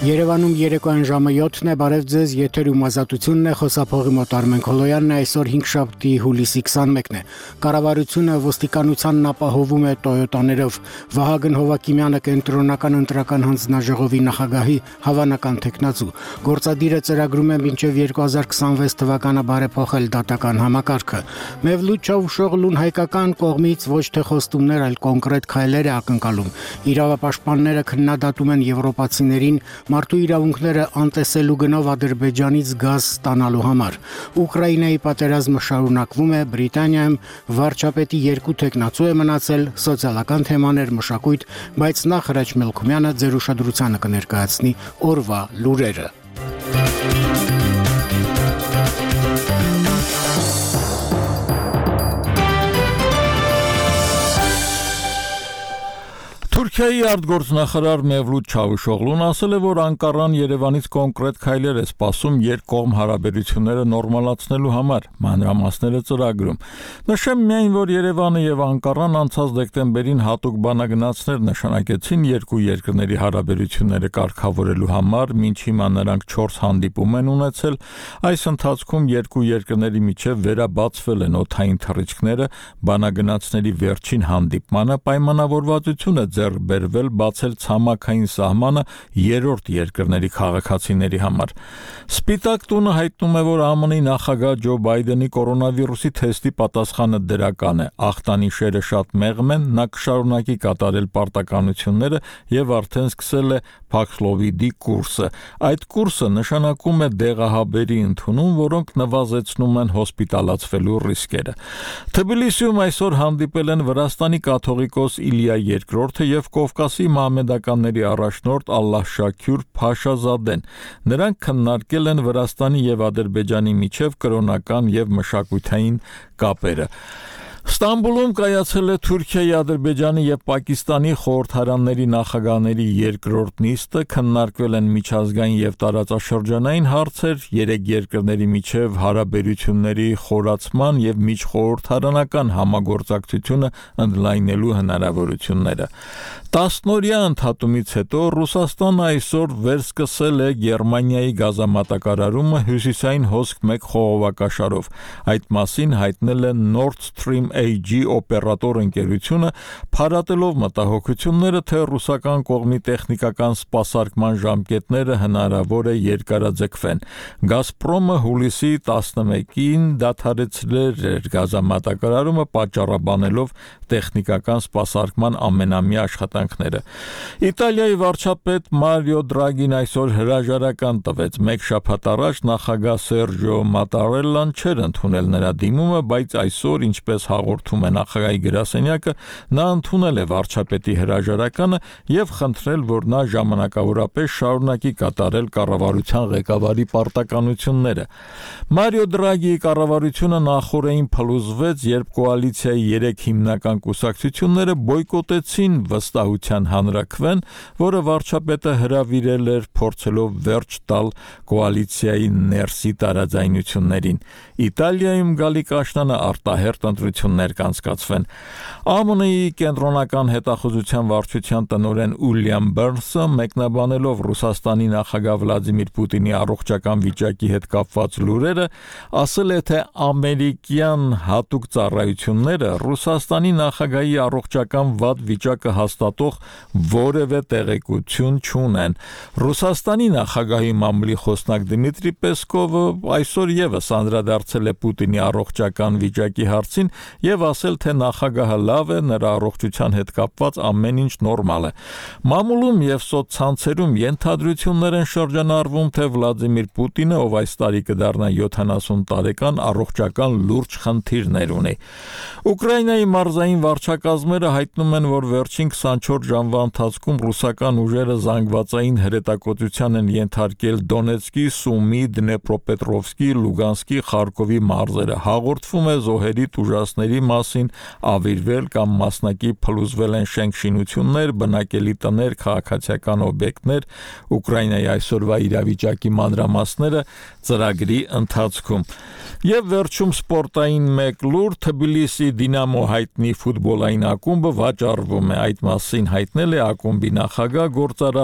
Երևանում երեկոյան ժամը 7-ն է, բարև ձեզ, եթերում ազատությունն է, խոսափողի մոտ Արմեն Քոլոյանն է, այսօր 5-շաբթի հուլիսի 21-ն է։ Կառավարությունը ոստիկանությանն ապահովում է Տոյոտաներով։ Վահագն Հովակիմյանը կենտրոնական ընտրական հանձնաժողովի նախագահի հավանական թեկնածու։ Գործադիրը ծրագրում է մինչև 2026 թվականը բարեփոխել դատական համակարգը։ Մևլութ Չավուշօղլուն հայկական կողմից ոչ թե խոստումներ, այլ կոնկրետ քայլեր է ակնկալում։ Իրավապաշտպանները քննադատում են եվրոպացիներին մարդու իրավունքները անտեսելու գնով Ադրբեջանից գազ ստանալու համար։ Ուկրաինայի պատերազմը շարունակվում է, Բրիտանիայում վարչապետի 2 թեկնածու է մնացել, սոցիալական թեմաներ, մշակույթ, բայց նախ Հրաչ Մելքումյանը ձեր ուշադրությանը կներկայացնի օրվա լուրերը։ Թուրքիայի արտգործնախարար Մևլութ Չավուշօղլուն ասել է, որ Անկարան Երևանից կոնկրետ քայլեր է սպասում երկկողմ հարաբերությունները նորմալացնելու համար, մանրամասները ծրագրում։ Նշեմ միայն, որ Երևանը եւ Անկարան անցած դեկտեմբերին հատուկ բանագնացներ նշանակեցին երկու երկրների հարաբերությունները կարգավորելու համար, մինչ հիմա նրանք 4 հանդիպում են ունեցել։ Այս ընթացքում երկու երկրների միջև վերաբացվել են օդային թռիչքները, բանագնացների վերջին հանդիպմանը պայմանավորվածություն է բերվել բացել ցամաքային սահմանը երրորդ երկրների քաղաքացիների համար։ Սպիտակ տունը հայտնում է, որ ԱՄՆ-ի նախագահ Ջո Բայդենի կորոնավիրուսի թեստի պատասխանը դրական է։ Ախտանիշերը շատ մեղմ են, նա կշարունակի կատարել պարտականությունները եւ արդեն սկսել է Փաքսլովիդի կուրսը։ Այդ կուրսը նշանակում է դեղահաբերի ընդունում, որոնք նվազեցնում են հոսպիտալացվելու ռիսկերը։ Թբիլիսիում այսօր հանդիպել են Վրաստանի կաթողիկոս Իլիա II եւ Կովկասի մահմեդականների առաջնորդ Ալլահշաքյուր Փաշազադեն։ Նրանք քննարկել են Վրաստանի եւ Ադրբեջանի միջև կրոնական եւ մշակութային կապերը։ Ստամբուլում կայացել է Թուրքիայի, Ադրբեջանի եւ Պակիստանի խորհրդարանների նախագահների երկրորդ նիստը, քննարկվել են միջազգային եւ տարածաշրջանային հարցեր, երեք երկրների միջև հարաբերությունների խորացման եւ միջխորհրդարանական համագործակցությունը ընդլայնելու հնարավորությունները։ 10-օրյա ընդհատումից հետո Ռուսաստանը այսօր վերսկսել է Գերմանիայի գազամատակարարումը հյուսիսային հոսք 1 խողովակաշարով։ Այդ մասին հայտնել է Nord Stream AG օպերատոր ընկերությունը, փարատելով մտահոգությունները, թե ռուսական կողմի տեխնիկական սպասարկման ժամկետները հնարավոր է երկարաձգվեն։ Գազպրոմը հուլիսի 11-ին դադարեցրել էր գազամատակարարումը, պատճառաբանելով տեխնիկական սպասարկման ամենամյա աշխատանքները։ Իտալիայի վարչապետ Մարիո Դրագին այսօր հրաժարական տվեց։ Մեկ շաբաթ առաջ նախագահ Սերջիո Մատարելլան չէր ընդունել նրա դիմումը, բայց այսօր, ինչպես հաղորդում է նախագահի գրասենյակը, նա ընդունել է վարչապետի հրաժարականը եւ խնդրել, որ նա ժամանակավորապես շարունակի կատարել կառավարության ղեկավարի պարտականությունները։ Մարիո Դրագիի կառավարությունը նախորդին փլուզվեց, երբ կոալիցիայի 3 հիմնական կուսակցությունները բոյկոտեցին վստահության հանրաքվեն, որը վարչապետը հրավիրել էր փորձելով վերջ տալ կոալիցիայի ներսի տարաձայնություններին։ Իտալիայում գալիք աշնանը արտահերթ ընտրություններ կանցկացվեն։ ԱՄՆ-ի կենտրոնական հետախուզության վարչության տնօրեն Ուիլյամ Բըրնսը մեկնաբանելով Ռուսաստանի նախագահ Վլադիմիր Պուտինի առողջական վիճակի հետ կապված լուրերը, ասել է, թե ամերիկյան հատուկ ծառայությունները Ռուսաստանի նախագահի առողջական վատ վիճակը հաստատող որևէ տեղեկություն չունեն։ Ռուսաստանի նախագահի մամուլի խոսնակ Դմիտրի Պեսկովը այսօր եւս անդրադարձել է Պուտինի առողջական վիճակի հարցին եւ ասել, թե նախագահը լավ է, նրա առողջության հետ կապված ամեն ինչ նորմալ է։ Մամուլում եւ սոցցանցերում ենթադրություններ են շրջանառվում, թե Վլադիմիր Պուտինը, ով այս տարի կդառնա 70 տարեկան, առողջական լուրջ խնդիրներ ունի։ Ուկրաինայի մարզային վարչակազմերը հայտնում են, որ վերջին 24 ժամվա ընթացքում ռուսական ուժերը զանգվածային հրետակոծության են ենթարկել Դոնեցկի, Սումի, Դնեպրոպետրովսկի, Լուգանսկի, Խարկովի մարզերը։ Հաղորդվում է զոհերի տուժածների մասին, ավիրվել կամ մասնակի փլուզվել են շենք-շինություններ, բնակելի տներ, քաղաքացիական օբյեկտներ։ Ուկրաինայի այսօրվա իրավիճակի մանրամասները ծրագրի ընթացքում։ Եվ վերջում սպորտային մեկ լուր, Թբիլիսի Դինամո հայտնի ֆուտբոլային ակումբը վաճառվում է։ Այդ մասին հայտնել է ակումբի նախագահ գործարար